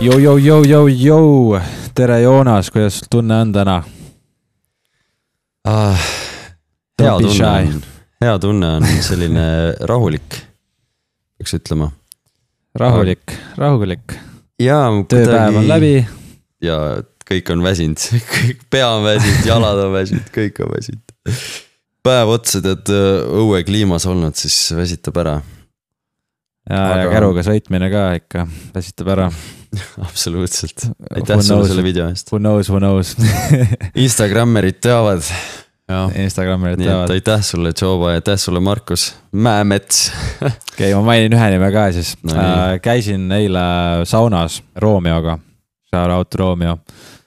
Jou. Tere Joonas, kuidas tunne on täna? Hea tunne on selline rahulik, peaks ütlema. Rahulik. Ja, tööpäev on läbi. Ja kõik on väsinud, pea on väsinud, jalad on väsinud, kõik on väsinud. Päev otsa tead õue kliimas olnud, siis väsitab ära. Ja käruga sõitmine ka ikka väsitab ära. Absoluutselt. Aitäh sulle selle video eest. Who knows. Instagrammerid teavad. Instagrammerid teavad. Aitäh sulle Joba ja aitäh sulle Markus Mäemets. Okei, ma mainin ühe nime ka siis. Käisin eile saunas Roomioga. Shout out Romeo.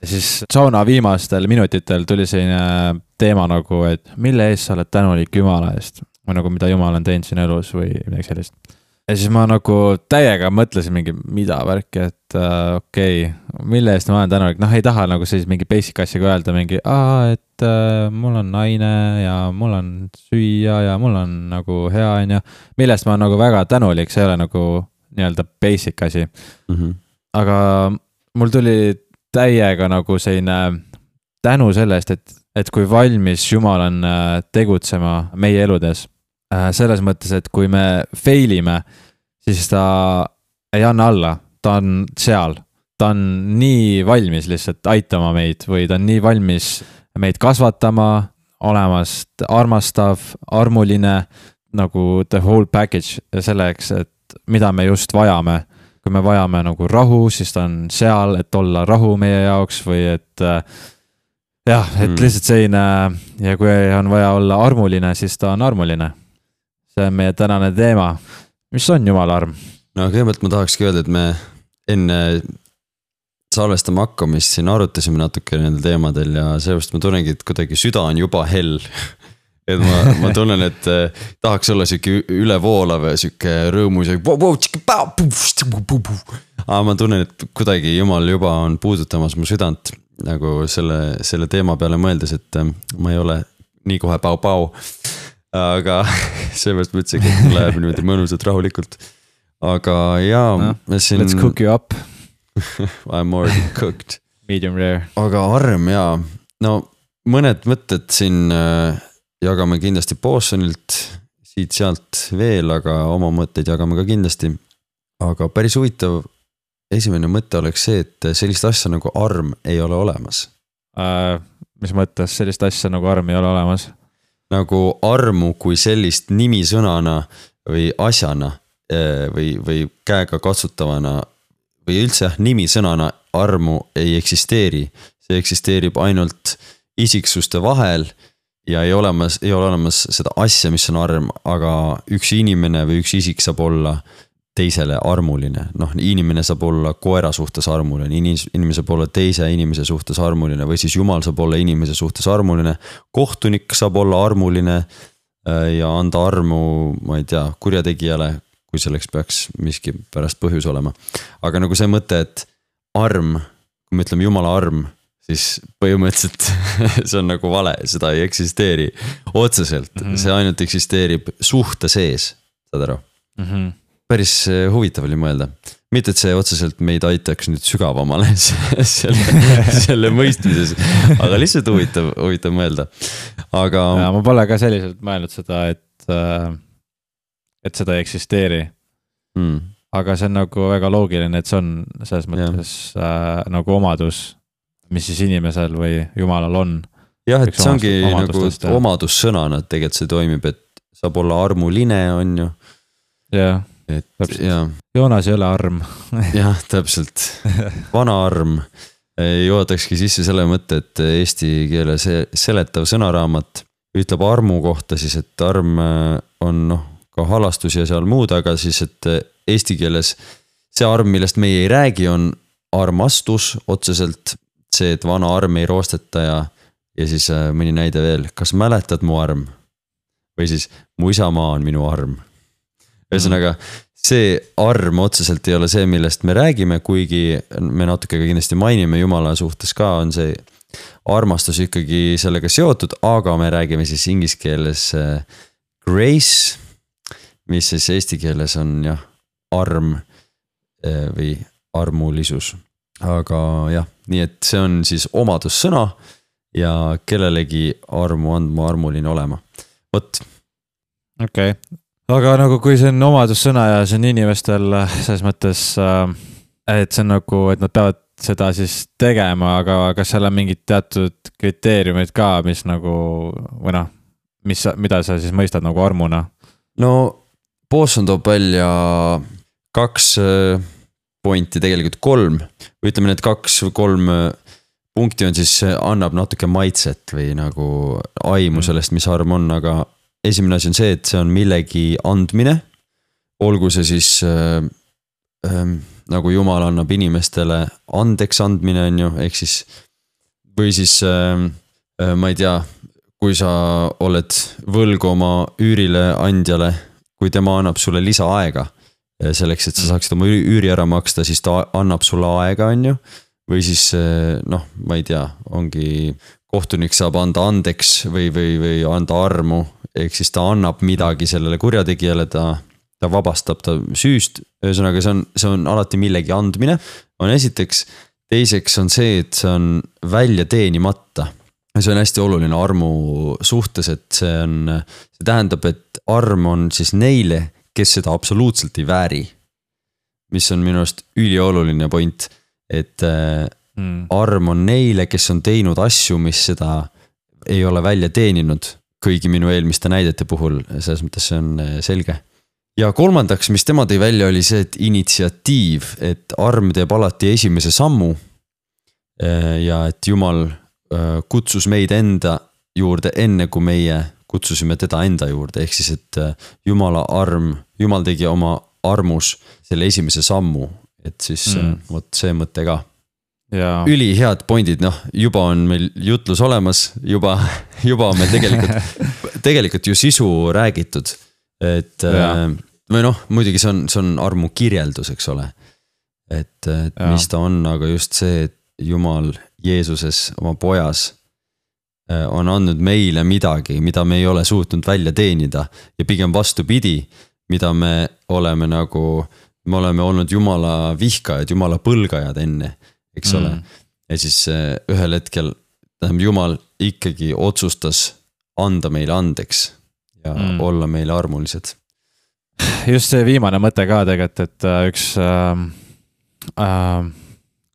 Ja siis sauna viimastel minutitel tuli selline teema nagu, et mille eest sa oled tänulik Jumala eest. Või nagu mida Jumal on teinud siin elus või midagi sellist. Ja siis ma nagu täiega mõtlesin mingi mida värki, et okei, mille eest ma olen tänulik. Ei taha nagu siis mingi basic asjaga öelda mingi, et mul on naine ja mul on süüa ja mul on nagu hea on ja millest ma olen nagu väga tänulik, see ei ole nagu nii-öelda basic asi. Aga mul tuli täiega nagu selline tänu sellest, et kui valmis Jumal on tegutsema meie eludes. Selles mõttes, et kui me failime, siis ta ei anna alla, ta on seal, ta on nii valmis lihtsalt aitama meid või ta on nii valmis meid kasvatama, olemast armastav, armuline, nagu the whole package selleks, et mida me just vajame. Kui me vajame nagu rahu, siis ta on seal, et olla rahu meie jaoks või et et lihtsalt selline ja kui on vaja olla armuline, siis ta on armuline. See on meie tänane teema. Mis on Jumala arm? No kõigepealt ma tahakski öelda, et me enne salvestama hakkamist siin arutasime natuke nendel teemadel ja sellepärast ma tunnengi, et kuidagi süda on juba hell. Et ma tunnen, et tahaks olla siuke ülevoolav ja siuke rõõmus. Aga ma tunnen, et kuidagi Jumal juba on puudutamas mu südant nagu selle teema peale mõeldes, et ma ei ole nii kohe pau. Aga seepärast ma ütlesin, et läheb niimoodi mõnusalt rahulikult. Aga siin... Let's cook you up. I'm already cooked. Medium rare. Aga arm no mõned mõtted siin jagame kindlasti Bosonilt, siit-sealt veel, aga oma mõtteid jagame ka kindlasti. Aga päris huvitav esimene mõte oleks see, et sellist asja nagu arm ei ole olemas. Mis mõttes sellist asja nagu arm ei ole olemas? Nagu armu kui sellist nimisõnana või asjana või käega katsutavana või üldse nimisõnana armu ei eksisteeri. See eksisteerib ainult isiksuste vahel ja ei ole olemas seda asja, mis on arm, aga üks inimene või üks isik saab olla teisele armuline. Inimene saab olla koera suhtes armuline, inimene saab olla teise inimese suhtes armuline või siis Jumal saab olla inimese suhtes armuline. Kohtunik saab olla armuline ja anda armu, ma ei tea, kurjategijale, kui selleks peaks miski pärast põhjus olema. Aga nagu see mõte, et arm, kui me ütleme Jumala arm, siis põhimõtteliselt see on nagu vale, seda ei eksisteeri otseselt. See ainult eksisteerib suhte sees, saad aru? Päris huvitav oli mõelda. Mitte, et see otseselt meid aitaks nüüd sügavamale selle mõistmises, aga lihtsalt huvitav mõelda. Aga... Ja, ma pole ka selliselt mõelnud seda, et seda ei eksisteeri. Aga see on nagu väga loogiline, et see on selles mõttes nagu omadus, mis siis inimesel või Jumalal on. Jah, et see ongi nagu omadussõnana, et tegelikult see toimib, et saab olla armuline, on ju. Jah. Joonas ei ole arm. Jah, täpselt. Vana arm. Jootakski sisse selle mõtte, et eesti keele seletav sõnaraamat ütleb armu kohta siis, et arm on ka halastus ja seal muud, aga siis, et eesti keeles see arm, millest meie ei räägi, on armastus otseselt. See, et vana arm ei roosteta ja siis mõni näide veel. Kas mäletad mu arm? Või siis mu isamaa on minu arm. Ühesõnaga, see arm otseselt ei ole see, millest me räägime, kuigi me natuke kindlasti mainime Jumala suhtes ka, on see armastus ikkagi sellega seotud, aga me räägime siis inglise keeles grace, mis siis eesti keeles on arm või armulisus. aga jah, nii et see on siis omadussõna ja kellelegi armu andma, armuline olema. Võt. Okei. Aga nagu kui see on omadussõna ja see on inimestel selles mõttes, et see on nagu, et nad peavad seda siis tegema, aga kas seal on mingid teatud kriteeriumid ka, mis nagu, või noh, mida sa siis mõistad nagu armuna? No Bosson toob välja 2 pointi, tegelikult 3. Ütleme, need 2-3 punkti on siis, annab natuke maitset või nagu aimu sellest, mis arm on, aga esimene asi on see, et see on millegi andmine. Olgu see siis nagu Jumal annab inimestele andeks andmine on ju, ehk siis või siis ma ei tea, kui sa oled võlgu oma üürile andjale, kui tema annab sulle lisaaega selleks, et sa saaksid oma üüri ära maksta, siis ta annab sulle aega, on ju. Või siis, noh, ma ei tea, ongi kohtunik saab anda andeks või anda armu, ehk siis ta annab midagi sellele kurjategijale, ta vabastab ta süüst. Ühesõnaga, see on alati millegi andmine. On esiteks, teiseks on see, et see on välja teenimata. See on hästi oluline armu suhtes, et see tähendab, et arm on siis neile, kes seda absoluutselt ei vääri. Mis on minu arust ülioluline point, et arm on neile, kes on teinud asju, mis seda ei ole välja teeninud kõigi minu eelmiste näidete puhul, selles mõttes see on selge. Ja kolmandaks, mis tema tõi välja, oli see, et initsiatiiv, et arm teeb alati esimese sammu ja et Jumal kutsus meid enda juurde enne, kui meie kutsusime teda enda juurde, ehk siis, et Jumal tegi oma armus selle esimese sammu, et siis võt see mõte ka. Ja. Üli head pointid, noh, juba on meil jutlus olemas, juba on meil tegelikult ju sisu räägitud, et või noh, muidugi see on armu kirjeldus, eks ole, et mis ta on, aga just see, et Jumal Jeesuses oma pojas on andnud meile midagi, mida me ei ole suutnud välja teenida ja pigem vastupidi, mida me oleme olnud Jumala vihkajad, Jumala põlgajad enne, eks ole. Ja siis ühel hetkel Jumal ikkagi otsustas anda meile andeks ja olla meile armulised. Just see viimane mõte ka tegelikult, et üks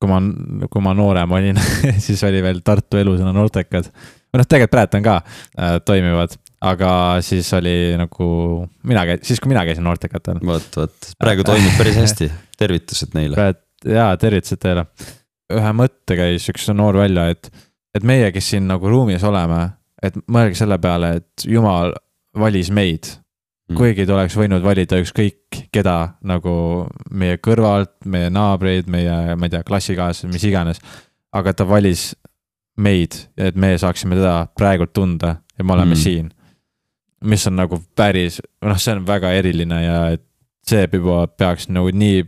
kui ma noorem olin, siis oli veel Tartu Elusõna noortekad. Või noh, tegelikult praegu on ka toimivad, aga siis oli nagu kui mina käisin noortekatel. Võt, praegu toimib päris hästi. Tervitused neile. Jaa, tervitused teile. Ühe mõtte käis üks noor välja, et meie, kes siin nagu ruumis oleme, et mõelge selle peale, et Jumal valis meid. Kuigi ta oleks võinud valida ükskõik keda nagu meie kõrvalt, meie naabreid, meie, ma ei tea, klassikaaslased, mis iganes, aga ta valis meid, et me saaksime teda praegult tunda ja me oleme siin. Mis on nagu päris, see on väga eriline ja see juba peaks nagu nii,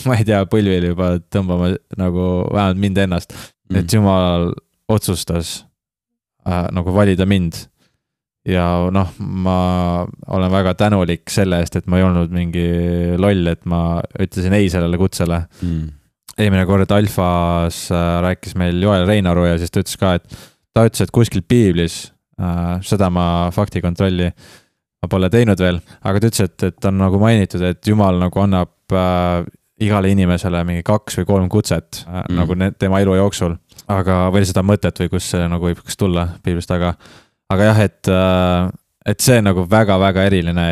ma ei tea, põlvili juba tõmbama nagu vähemalt mind ennast, et Jumal otsustas nagu valida mind. Ja noh, ma olen väga tänulik selle eest, et ma ei olnud mingi loll, et ma ütlesin ei sellele kutsele. Eelmine kord Alfas rääkis meil Joel Reinaru ja siis ta ütles ka, et kuskil piiblis, seda ma faktikontrolli ma pole teinud veel, aga ta ütles, et on nagu mainitud, et Jumal nagu annab igale inimesele mingi 2 või 3 kutset nagu tema elu jooksul, aga veel seda mõtet või kus see nagu võib tulla piiblist, aga jah, et see nagu väga-väga eriline,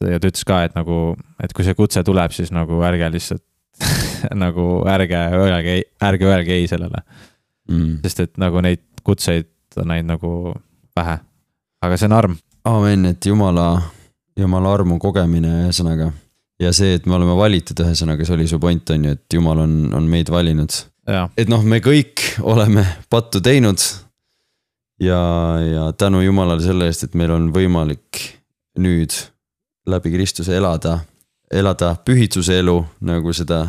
ja ta ütles ka, et kui see kutse tuleb, siis nagu ärge lihtsalt nagu ärge öelge ei sellele. Sest et nagu neid kutseid on neid nagu vähe. Aga see on arm. Aamen, et Jumala armu kogemine ühesõnaga. Ja see, et me oleme valitud ühesõnaga, see oli su point on ju, et Jumal on meid valinud. Ja. Et noh, me kõik oleme pattu teinud ja tänu Jumalale selle eest, et meil on võimalik nüüd läbi Kristuse elada pühitsuse elu, nagu seda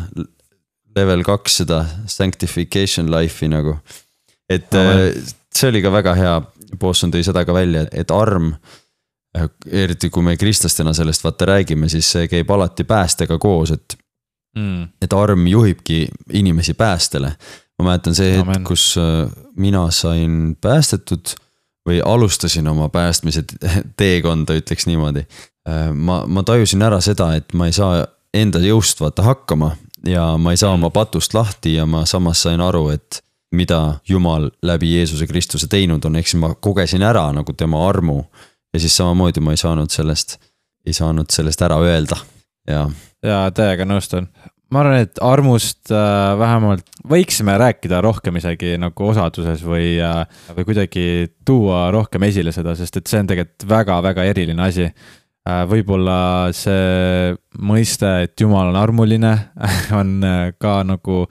level 2, seda sanctification life'i nagu. Et see oli ka väga hea, Bosson tõi seda ka välja, et arm, eriti kui me kristlastena sellest vaata räägime, siis see käib alati päästega koos, et et arm juhibki inimesi päästele. Ma mäletan see hetk, kus mina sain päästetud või alustasin oma päästmise teekonda, ütleks niimoodi. Ma tajusin ära seda, et ma ei saa enda jõust vaata hakkama ja ma ei saa oma patust lahti ja ma samas sain aru, et mida Jumal läbi Jeesuse Kristuse teinud on, eks ma kogesin ära nagu tema armu ja siis samamoodi ma ei saanud sellest ära öelda. Ja täiega nõustun. Ma arvan, et armust vähemalt võiksime rääkida rohkem isegi nagu osaduses või kuidagi tuua rohkem esile seda, sest et see on tegelikult väga-väga eriline asi. Võib-olla see mõiste, et Jumal on armuline, on ka nagu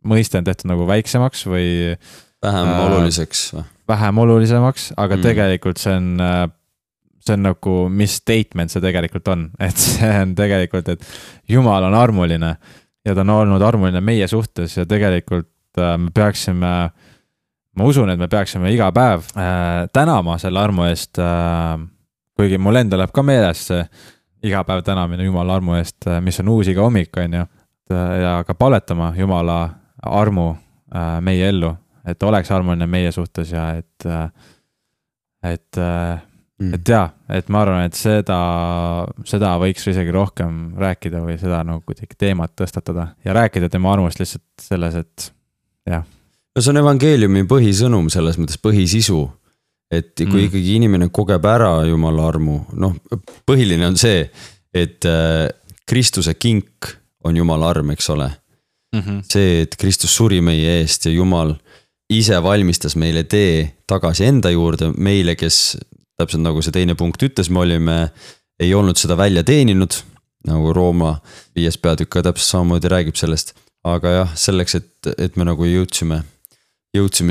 mõiste on tehtud nagu väiksemaks või vähem olulisemaks, aga tegelikult see on nagu, mis statement see tegelikult on, et see on tegelikult, et Jumal on armuline ja ta on olnud armuline meie suhtes ja tegelikult me peaksime, ma usun, et me peaksime iga päev tänama selle armu eest, kuigi mul enda läheb ka meeles see iga päev tänamine Jumala armu eest, mis on uus iga hommik, on ju, ja ka paletama Jumala armu meie ellu, et oleks armuline meie suhtes ja et ma arvan, et seda võiks isegi rohkem rääkida või seda nagu kuidagi teemat tõstatada ja rääkida tema armust lihtsalt selles, et jah. No see on evangeeliumi põhisõnum selles mõttes põhisisu, et kui ikkagi inimene kogeb ära Jumala armu, põhiline on see, et Kristuse kink on Jumala arm, eks ole. See, et Kristus suri meie eest ja Jumal ise valmistas meile tee tagasi enda juurde, meile, kes täpselt nagu see teine punkt ütles, me ei olnud seda välja teeninud, nagu Rooma 5. peatükk ka täpselt samamoodi räägib sellest, aga jah, selleks, et me nagu jõudsime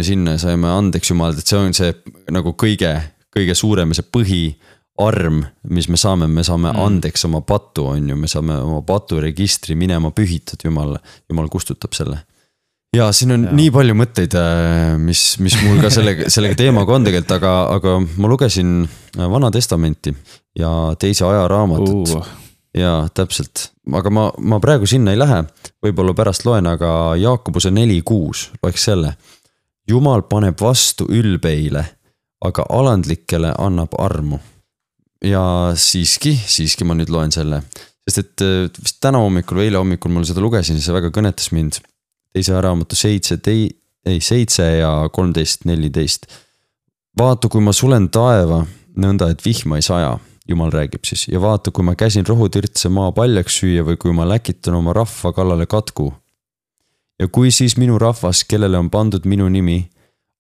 sinna ja saime andeks Jumalalt, et see on see nagu kõige suurem see põhiarm, mis me saame andeks oma patu, on ju, me saame oma paturegistri minema pühitud, Jumal kustutab selle. Ja siin on nii palju mõtteid, mis mul ka sellega teemaga on tegelikult, aga ma lugesin Vana Testamenti ja teise ajaraamatut. Ja täpselt, aga ma praegu sinna ei lähe, võib-olla pärast loen, aga Jaakobuse 4:6 loeks selle. Jumal paneb vastu ülbeile, aga alandlikele annab armu. Ja siiski ma nüüd loen selle, sest et vist täna hommikul või eile hommikul mul seda lugesin, see väga kõnetas mind. Teise ajaraamatu 7 ja 13:14. Vaata, kui ma sulen taeva, nõnda, et vihma ei saja, Jumal räägib siis, ja vaata, kui ma käsin rohutirtse maa paljaks süüa või kui ma läkitan oma rahva kallale katku. Ja kui siis minu rahvas, kellele on pandud minu nimi,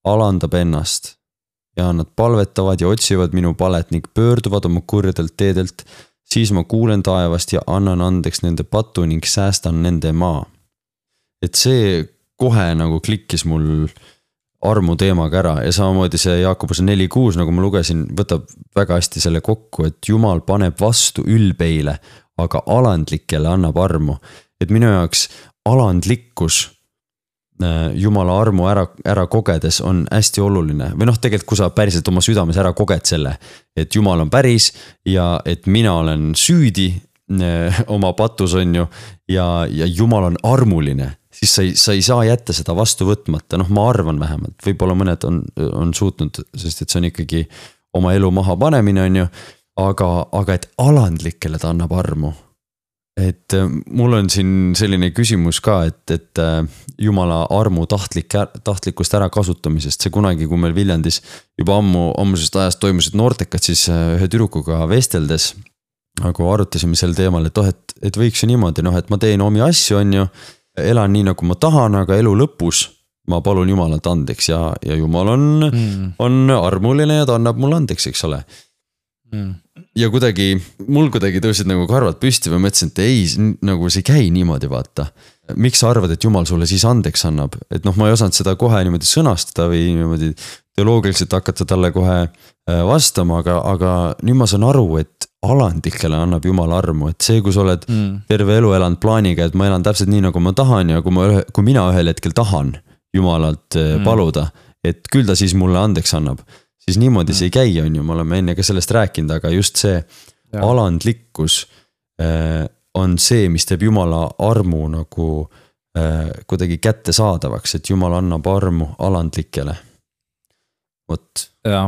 alandab ennast ja nad palvetavad ja otsivad minu palet ning pöörduvad oma kurjadelt teedelt, siis ma kuulen taevast ja annan andeks nende patu ning säästan nende maa. Et see kohe nagu klikkis mul armu teemaga ära ja samamoodi see Jaakobuse 4:6, nagu ma lugesin, võtab väga hästi selle kokku, et Jumal paneb vastu ülbeile, aga alandlikele annab armu. Et minu jaoks alandlikkus Jumala armu ära kogedes on hästi oluline. Või tegelikult kui sa päriselt oma südames ära koged selle, et Jumal on päris ja et mina olen süüdi oma patus on ju ja Jumal on armuline, siis sa ei saa jätta seda vastu võtmata, ma arvan vähemalt, võib-olla mõned on suutnud, sest et see on ikkagi oma elu maha panemine on ju, aga et alandlikele ta annab armu. Et mul on siin selline küsimus ka, et Jumala armu tahtlikust ära kasutamisest, see kunagi, kui meil Viljandis juba ammusest ajast toimusid noortekad, siis ühe tüdrukuga vesteldes, aga arutasime sel teemal, et võiks ju niimoodi, et ma teen omi asju, on ju, elan nii, nagu ma tahan, aga elu lõpus ma palun Jumalalt andeks ja Jumal on armuline ja ta annab mulle andeks, eks ole. Ja mul kuidagi tõusid nagu karvad püsti või mõtlesin, et ei, nagu see ei käi niimoodi, vaata. Miks sa arvad, et Jumal sulle siis andeks annab? Et ma ei osanud seda kohe niimoodi sõnastada või niimoodi teoloogiliselt hakata talle kohe vastama, aga nüüd ma saan aru, et alandlikele annab Jumal armu, et see, kui sa oled terve elu elanud plaaniga, et ma elan täpselt nii, nagu ma tahan ja kui mina ühel hetkel tahan Jumalalt paluda, et küll ta siis mulle andeks annab, siis niimoodi see ei käi, on ju, me oleme enne ka sellest rääkinud, aga just see alandlikkus on see, mis teeb Jumala armu nagu kuidagi kättesaadavaks, et Jumal annab armu alandlikele. Vot. Ja,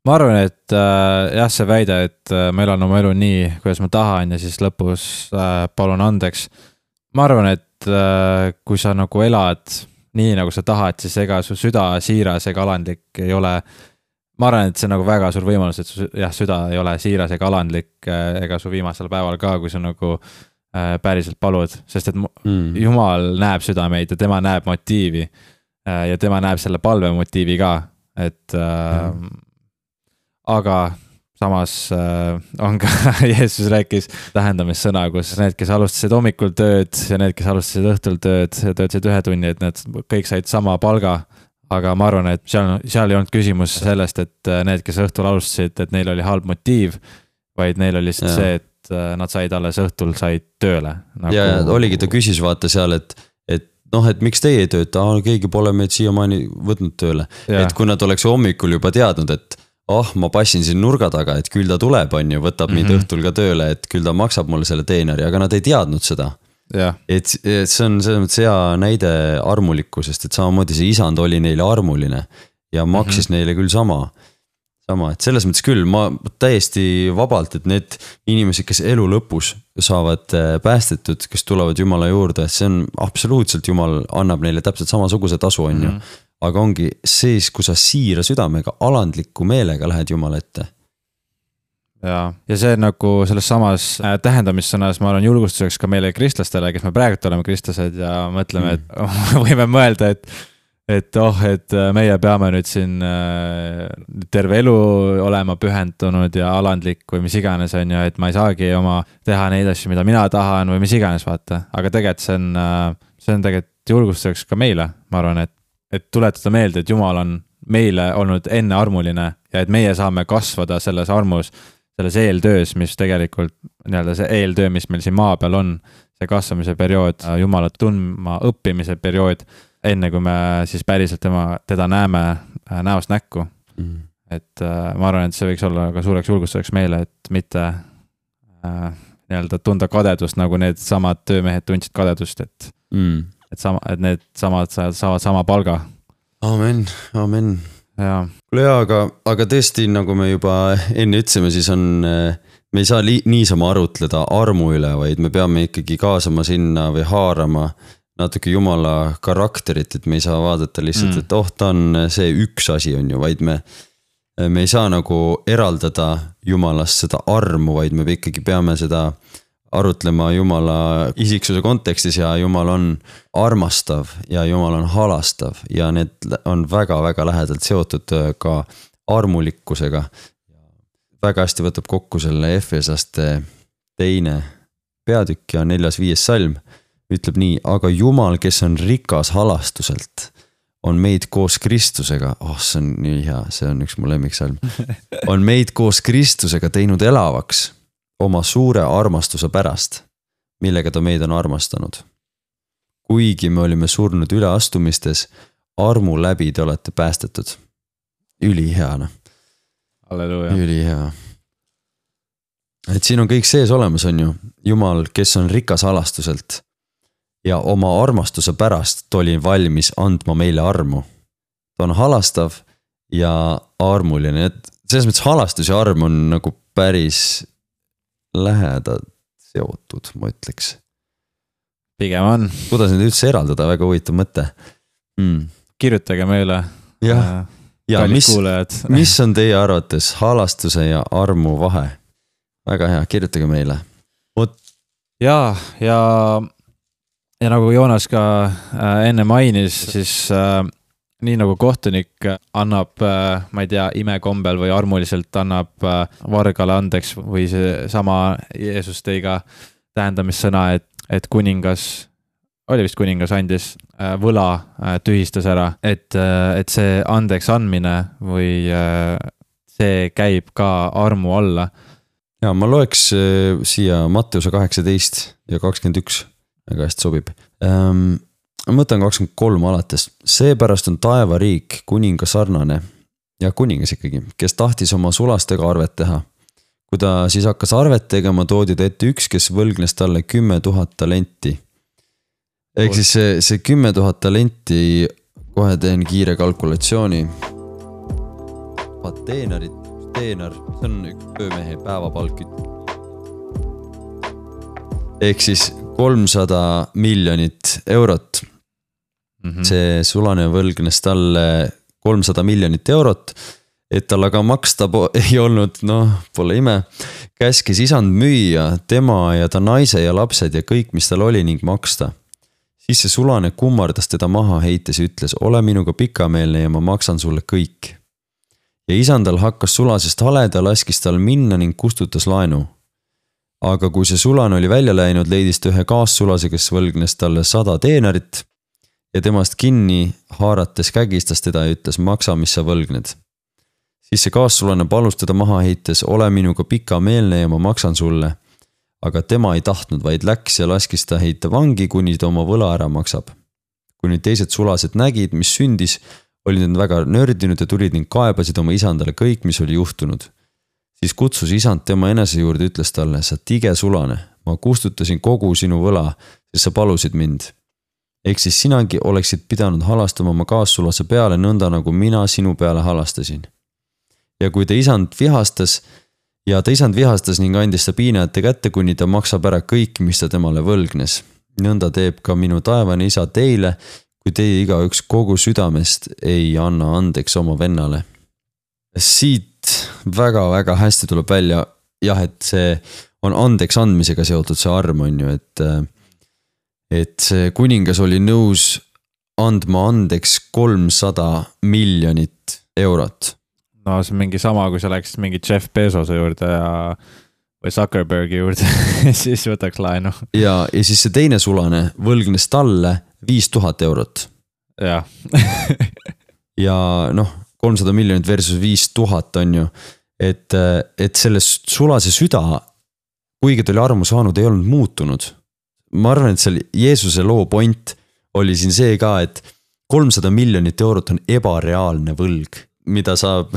ma arvan, et jah, see väide, et ma elan oma elu nii, kuidas ma tahan ja siis lõpus palun andeks. Ma arvan, et kui sa nagu elad nii, nagu sa tahad, siis ega su süda siiras ega alandlik ei ole. Ma arvan, et see on nagu väga suur võimalus, et su süda ei ole siiras ega alandlik ega su viimasel päeval ka, kui sa nagu päriselt palud, sest et Jumal näeb südameid ja tema näeb motiivi ja tema näeb selle palve motiivi ka, et aga samas on ka Jeesus rääkis tähendamissõna, kus need, kes alustasid hommikul tööd ja need, kes alustasid õhtul töötasid 1 tunni, et need kõik said sama palga, aga ma arvan, et seal ei olnud küsimus sellest, et need, kes õhtul alustasid, et neil oli halb motiiv, vaid neil oli lihtsalt see, et nad said alles õhtul, said tööle nagu... Ja oligi, ta küsis vaata seal, et miks teie ei tööta, keegi pole meid siiamaani võtnud tööle. Et kui nad oleks hommikul juba teadnud, et ma passin siin nurga taga, et küll ta tuleb, on ju, võtab mind õhtul ka tööle, et küll ta maksab mulle selle teeneri, aga nad ei teadnud seda. Et see on selles mõttes hea näide armulikkusest, et samamoodi see isand oli neile armuline ja maksis neile küll sama, et selles mõttes küll ma täiesti vabalt, et need inimesed, kes elu lõpus saavad päästetud, kes tulevad Jumala juurde, see on absoluutselt Jumal annab neile täpselt samasuguse tasu, on ju. Aga ongi siis, kui sa siira südamega, alandliku meelega lähed Jumala ette. Ja see nagu selles samas tähendamissõnas, ma olen julgustuseks ka meile kristlastele, kes me praegu oleme kristlased ja mõtleme, et võime mõelda, et meie peame nüüd siin terve elu olema pühendunud ja alandlik või mis iganes on ju, et ma ei saagi teha neid asju, mida mina tahan või mis iganes vaata, aga tegelikult see on tegelikult julgustuseks ka meile, ma arvan, et tuletada meelde, et Jumal on meile olnud enne armuline ja et meie saame kasvada selles armus, selles eeltöös, mis tegelikult see eeltöö, mis meil siin maa peal on, see kasvamise periood, Jumalat tundma õppimise periood, enne kui me siis päriselt teda näeme näost näkku. Et ma arvan, et see võiks olla ka suureks julgustuseks meile, et mitte tunda kadedust, nagu need samad töömehed tundsid kadedust, et need samad saavad sama palga. Amen. Kuule aga tõesti, nagu me juba enne ütlesime, siis me ei saa niisama arutleda armu üle, vaid me peame ikkagi kaasama sinna või haarama natuke Jumala karakterit, et me ei saa vaadata lihtsalt, et ta on see üks asi on ju, vaid me ei saa nagu eraldada Jumalast seda armu, vaid me ikkagi peame seda arutlema Jumala isiksuse kontekstis ja Jumal on armastav ja Jumal on halastav ja need on väga-väga lähedalt seotud ka armulikkusega. Väga hästi võtab kokku selle Efesaste 2. peatükk ja 4.5. salm. Ütleb nii, aga Jumal, kes on rikas halastuselt, on meid koos Kristusega, see on nii hea, see on üks mu lemmiksalm, on meid koos Kristusega teinud elavaks oma suure armastuse pärast, millega ta meid on armastanud. Kuigi me olime surnud üleastumistes, armu läbi te olete päästetud. Ülihea. Halleluuja. Ülihea. Et siin on kõik sees olemas, on ju. Jumal, kes on rikas halastuselt ja oma armastuse pärast oli valmis andma meile armu. Ta on halastav ja armuline. Et selles mõttes halastus ja arm on nagu päris lähedalt seotud, ma ütleks. Pigem on. Kuidas need üldse eraldada, väga huvitav mõte. Kirjutage meile. Ja mis on teie arvates halastuse ja armu vahe? Väga hea, kirjutage meile. Ja nagu Joonas ka enne mainis, siis nii nagu kohtunik annab, ma ei tea, imekombel või armuliselt annab vargale andeks või see sama Jeesus tõi ka tähendamissõna, et kuningas, oli vist kuningas andis võla, tühistas ära, et see andeks andmine või see käib ka armu alla. Ja ma loeks siia Matteuse 18 ja 21. Väga hästi sobib. Ma mõtlen 23 alates. Seepärast on taevariik kuninga sarnane ja kuningas ikkagi, kes tahtis oma sulastega arvet teha. kui ta siis hakkas arvet tegema, toodi ta ette üks, kes võlgnes talle 10 000 talenti. Ehk siis see 10 000 talenti, kohe teen kiire kalkulatsiooni. Teenar, see on üks töömehe päevapalk. Ehk siis 300 miljonit eurot. See sulane võlgnes talle 300 miljonit eurot, et tal aga maksta ei olnud, pole ime. Käskis isand müüa tema ja ta naise ja lapsed ja kõik, mis tal oli ning maksta. Siis see sulane kummardas teda maha heites ja ütles, ole minuga pikameelne ja ma maksan sulle kõik. Ja isandal hakkas sulasest haleda, laskis tal minna ning kustutas laenu. Aga kui see sulane oli välja läinud, leidis ta ühe kaassulase, kes võlgnes talle 100 teenarit ja temast kinni haarates kägistas teda ja ütles, maksa, mis sa võlgned. Siis see kaassulane palus teda maha heites, ole minuga pikameelne ja ma maksan sulle. Aga tema ei tahtnud, vaid läks ja laskis ta heita vangi, kuni ta oma võla ära maksab. Kui nüüd teised sulased nägid, mis sündis, olid nad väga nördinud ja tulid ning kaebasid oma isandale kõik, mis oli juhtunud. Siis kutsus isand tema enese juurde, ütles talle, sa tige sulane, ma kustutasin kogu sinu võla, sest sa palusid mind. Ehk siis sinagi oleksid pidanud halastama oma kaassulase peale nõnda, nagu mina sinu peale halastasin. Ja kui ta isand vihastas ning andis ta piinajate kätte, kuni ta maksab ära kõik, mis ta temale võlgnes. Nõnda teeb ka minu taevane isa teile, kui teie igaüks kogu südamest ei anna andeks oma vennale. Siit väga-väga hästi tuleb välja, jah, et see on andeks andmisega seotud see arm, on ju, et see kuningas oli nõus andma andeks 300 miljonit eurot. No see on mingi sama, kui sa läksid mingi Jeff Bezose juurde või Zuckerbergi juurde, siis võtaks laenu. Ja siis see teine sulane võlgnes talle 5000 eurot. Ja. Ja 300 miljonit versus 5000 on ju, et selle sulase süda, kuigi ta oli armu saanud, ei olnud muutunud. Ma arvan, et seal Jeesuse loo point oli siin see ka, et 300 miljonit eurot on ebareaalne võlg, mida saab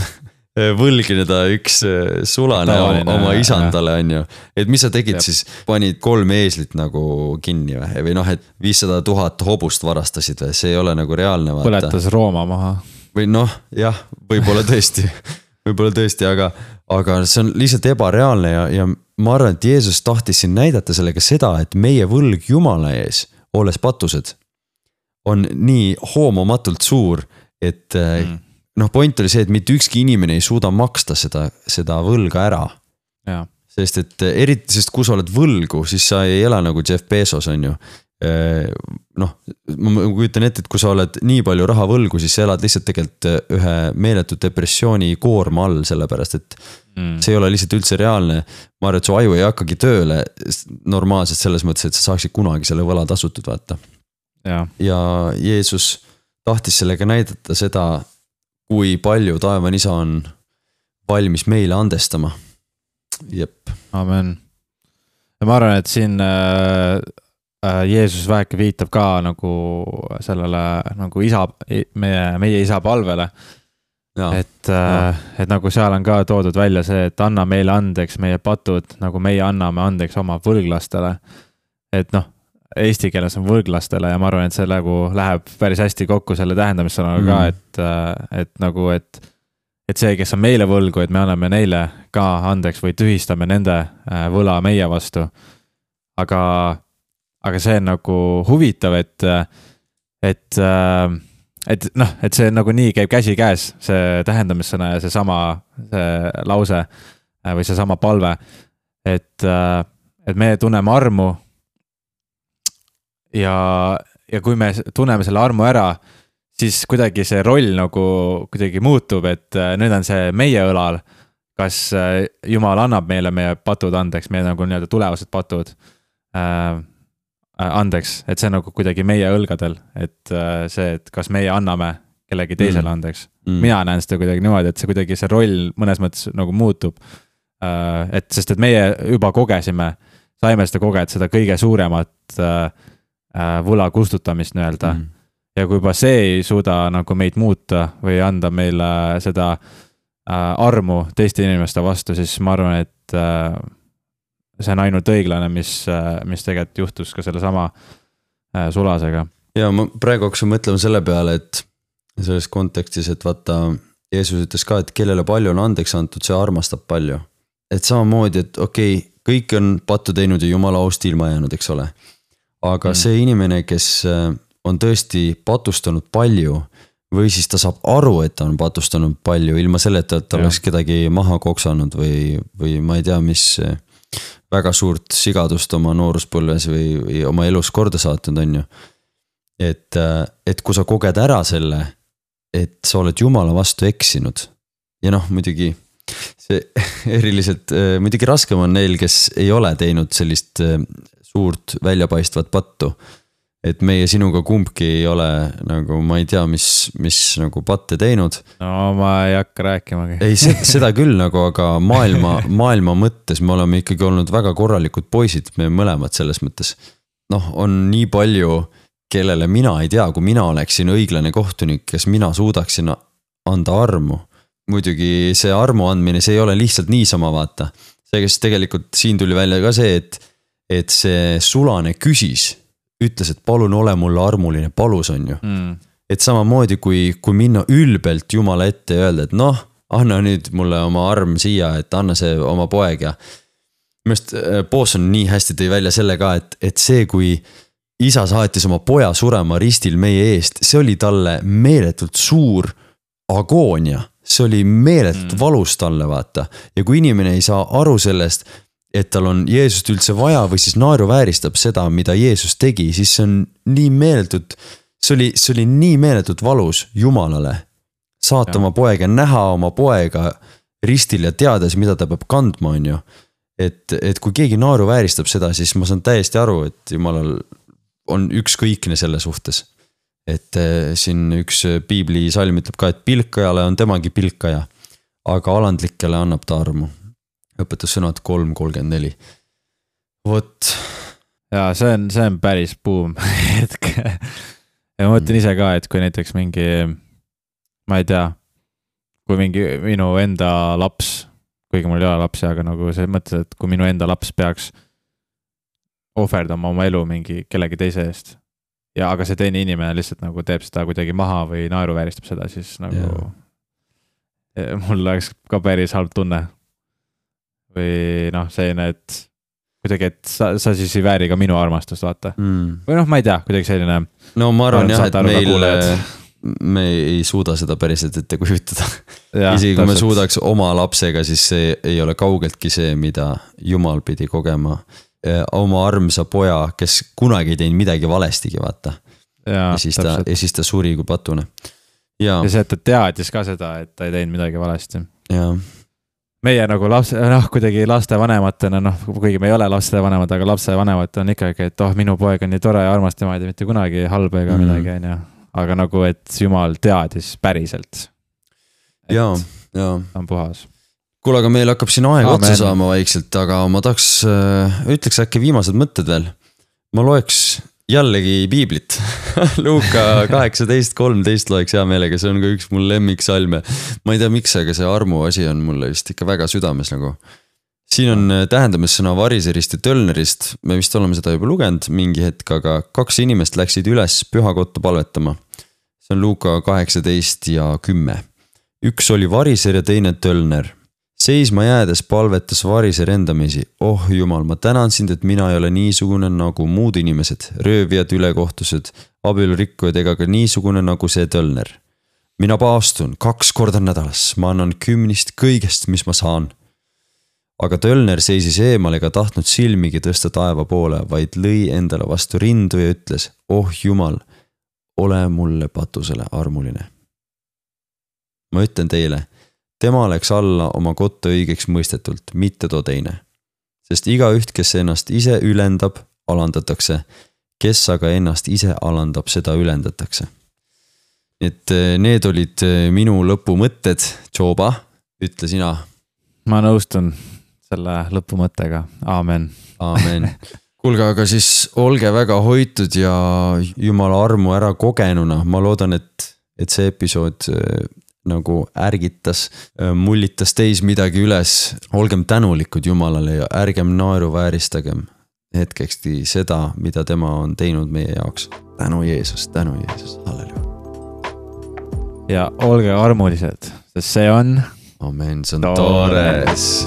võlgineda üks sulane oma isandale, on ju. Et mis sa tegid siis, panid 3 eeslit nagu kinni või et 500 000 hobust varastasid või, see ei ole nagu reaalne. Põletas Rooma maha. Või jah, võib-olla tõesti, aga see on lihtsalt ebareaalne ja ma arvan, et Jeesus tahtis siin näidata sellega seda, et meie võlg Jumala ees, olles patused, on nii hoomamatult suur, et point oli see, et mitte ükski inimene ei suuda maksta seda võlga ära. Ja. Sest et eriti, sest kui sa oled võlgu, siis sa ei ela nagu Jeff Bezos, on ju. Ma kujutan ette, et kui sa oled nii palju raha võlgu, siis sa elad lihtsalt tegelikult ühe meeletu depressiooni koorma all, sellepärast, et see ei ole lihtsalt üldse reaalne. Ma arvan, et su aju ei hakkagi tööle normaalselt selles mõttes, et sa saaksid kunagi selle võla tasutud, vaata. Ja Jeesus tahtis sellega näidata seda, kui palju taevane isa on valmis meile andestama. Jep. Amen. Ja ma arvan, et siin Jeesus väheke viitab ka nagu sellele nagu meie isa palvele. Ja. Et nagu seal on ka toodud välja see, et anna meile andeks meie patud, nagu meie anname andeks oma võlglastele. Et eesti keeles on võlglastele ja ma arvan, et see nagu läheb päris hästi kokku selle tähendamissõnaga ka, et see, kes on meile võlgu, et me anname neile ka andeks või tühistame nende võla meie vastu. Aga see on nagu huvitav, et see nagu nii käib käsi käes, see tähendamissõna ja see lause või see sama palve, et me tunneme armu ja kui me tunneme selle armu ära, siis kuidagi see roll nagu kuidagi muutub, et nüüd on see meie õlal, kas Jumal annab meile meie patud andeks, meie nagu nii-öelda tulevased patud andeks, et see nagu kuidagi meie õlgadel, et see, et kas meie anname kellegi teisele andeks. Mina näen seda kuidagi niimoodi, et see kuidagi see roll mõnes mõttes nagu muutub. Sest et meie juba saime seda kogeda, seda kõige suuremat võla kustutamist nii-öelda. Ja kui juba see ei suuda nagu meid muuta või anda meile seda armu teiste inimeste vastu, siis ma arvan, et see on ainult õiglane, mis tegelikult juhtus ka selle sama Sulasega. Ja ma praegu hakkasin mõtlema selle peale, et selles kontekstis, et vaata, Jeesus ütles ka, et kellele palju on andeks antud, see armastab palju. Et samamoodi, et okei, kõik on pattu teinud ja Jumala aust ilma jäänud, eks ole. Aga see inimene, kes on tõesti patustanud palju või siis ta saab aru, et ta on patustanud palju ilma selleta, et ta oleks kedagi maha koksanud või ma ei tea, mis väga suurt sigadust oma nooruspõlves või oma elus korda saatnud on ju. Et kui sa koged ära selle, et sa oled Jumala vastu eksinud ja noh, muidugi see eriliselt, muidugi raskem on neil, kes ei ole teinud sellist suurt väljapaistvat pattu. Et meie sinuga kumbki ei ole nagu, ma ei tea, mis nagu patte teinud. No ma ei hakka rääkimagi. Ei, seda küll nagu, aga maailma mõttes me oleme ikkagi olnud väga korralikud poisid, me mõlemad selles mõttes. Noh, on nii palju, kellele mina ei tea, kui mina oleksin õiglane kohtunik, kes mina suudaksin anda armu. Muidugi see armu andmine, see ei ole lihtsalt niisama vaata. See, kes tegelikult siin tuli välja ka see, et see Sulane küsis, ütles, et palun ole mulle armuline, palus on ju. Et samamoodi, kui minna ülbelt Jumala ette ja öelda, et noh, anna nüüd mulle oma arm siia, et anna see oma poeg ja mest Boson nii hästi tõi välja selle ka, et see, kui isa saatis oma poja surema ristil meie eest, see oli talle meeletult suur agoonia, see oli meeletult valus talle vaata ja kui inimene ei saa aru sellest, et tal on Jeesust üldse vaja või siis naeruvääristab seda, mida Jeesus tegi, siis see on nii meeletult, see oli nii meeletult valus Jumalale. Saata oma poega, näha oma poega ristil ja teades, mida ta peab kandma on ju. Et kui keegi naeruvääristab seda, siis ma saan täiesti aru, et Jumalal on ükskõikne selle suhtes. Et siin üks piibli salm ütleb ka, et pilkajale on temagi pilkaja, aga alandlikele annab ta armu. Õpetussõnad 3.34. Vot. Ja see on päris boom hetk. Ja ma mõtlen ise ka, et kui näiteks mingi, ma ei tea, kui mingi minu enda laps, kuigi mul ei ole lapsi, aga nagu see mõttes, et kui minu enda laps peaks ohverdama oma elu mingi kellegi teise eest ja aga see teine inimene lihtsalt nagu teeb seda kuidagi maha või naeruvääristab seda, siis nagu mul oleks ka päris halb tunne. Või noh, selline, et kuidagi, et sa siis ei vääri ka minu armastust, vaata. Või noh, ma ei tea, kuidagi selline. No ma arvan jah, et me ei suuda seda päriselt ette kujutada. Isegi kui me suudaks oma lapsega, siis see ei ole kaugeltki see, mida Jumal pidi kogema. Oma armsa poja, kes kunagi ei teinud midagi valestigi, vaata. Ja siis ta suri kui patune. Ja see, et ta teadis ka seda, et ta ei teinud midagi valesti. Jaa. Meie nagu kuidagi lastevanematena, kuigi me ei ole lastevanemad, aga lapsevanemad on ikkagi, et minu poeg on nii tore ja armas, tema ei tee mitte kunagi halba ega midagi, on ju. Aga nagu, et Jumal teadis päriselt. Jaa. On puhas. Kuule, aga meil hakkab siin aeg otsa saama vaikselt, aga ma ütleks äkki viimased mõtted veel. Ma loeks jällegi piiblit. Luuka 18.13 loeks hea meelega, see on ka üks mul lemmiksalme. Ma ei tea miks, aga see armu asi on mulle vist ikka väga südames nagu. Siin on tähendamissõna variserist ja tölnerist, me vist oleme seda juba lugenud mingi hetk, aga 2 inimest läksid üles pühakotta palvetama. See on Luuka 18 ja 10. Üks oli variser ja teine tölner. Seisma jäädes palvetas variser endamisi. Oh Jumal, ma tänan sind, et mina ei ole niisugune nagu muud inimesed, röövijad, ülekohtused, abielurikkujad ega ka niisugune nagu see tölner. Mina paastun 2 korda nädalas, ma annan 10 kõigest, mis ma saan. Aga tölner seisis eemal ega tahtnud silmigi tõsta taeva poole, vaid lõi endale vastu rindu ja ütles, oh Jumal, ole mulle patusele armuline. Ma ütlen teile, tema läks alla oma kotta õigeks mõistetult, mitte too teine. Sest igaüht, kes ennast ise ülendab, alandatakse. Kes aga ennast ise alandab, seda ülendatakse. Et need olid minu lõpumõtted. Joba, ütle sina. Ma nõustun selle lõpumõttega. Aamen. Aamen. Kuulge, aga siis olge väga hoitud ja Jumala armu ära kogenuna. Ma loodan, et see episood nagu ärgitas, mullitas teis midagi üles. Olgem tänulikud Jumalale ja ärgem naeruvääristagem hetkekski seda, mida tema on teinud meie jaoks. Tänu Jeesus, halleluja. Ja olge armulised, sest see on amen, see on toores.